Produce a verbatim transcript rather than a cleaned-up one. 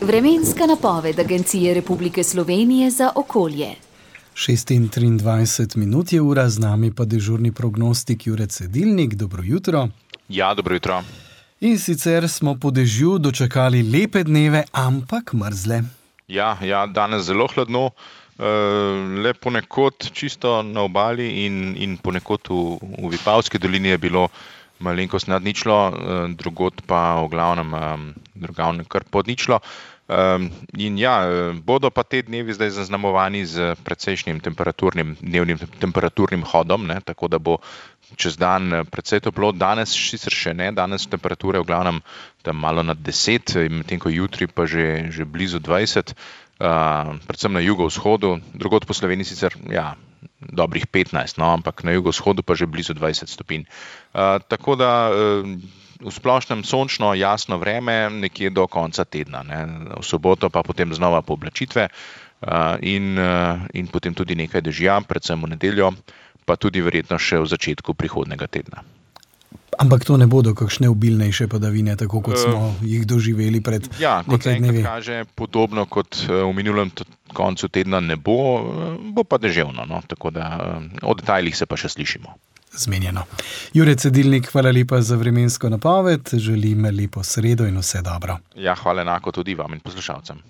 Vremenska napoved Agencije Republike Slovenije za okolje. šest in triindvajset minut je ura, z nami pa dežurni prognostik Jure Cedilnik. Dobro jutro. Ja, dobro jutro. In sicer smo po dežju dočakali lepe dneve, ampak mrzle. Ja, ja, danes zelo hladno, le ponekod čisto na obali in, in ponekod v, v Vipavski dolini je bilo malenkost nad ničlo, drugod pa v glavnem drugavnem kar pod ničlo. In ja, bodo pa te dnevi zdaj zaznamovani z precejšnjim temperaturnim, dnevnim temperaturnim hodom, ne, tako da bo čez dan precej toplo. Danes sicer še ne, danes temperature v glavnem tam malo nad deset, medtem ko jutri pa že, že blizu dvajset, predvsem na jugovzhodu, drugod po Sloveniji sicer, ja, dobrih petnajst, no, ampak na jugovzhodu pa že blizu dvajset stopinj. Tako da v splošnem sončno, jasno vreme nekje do konca tedna, ne. V soboto pa potem znova pooblačitve in, in potem tudi nekaj dežja, predvsem v nedeljo, pa tudi verjetno še v začetku prihodnjega tedna. Ampak to ne bodo kakšne obilnejše padavine, tako kot smo uh, jih doživeli pred ja, nekaj dnevi. Ja, kot kaže, podobno kot v minulem koncu tedna ne bo, bo pa deževno, no, tako da o detajlih se pa še slišimo. Zmenjeno. Jure Cedilnik, hvala lepa za vremensko napoved, želim lepo sredo in vse dobro. Ja, hvala enako tudi vam in poslušalcem.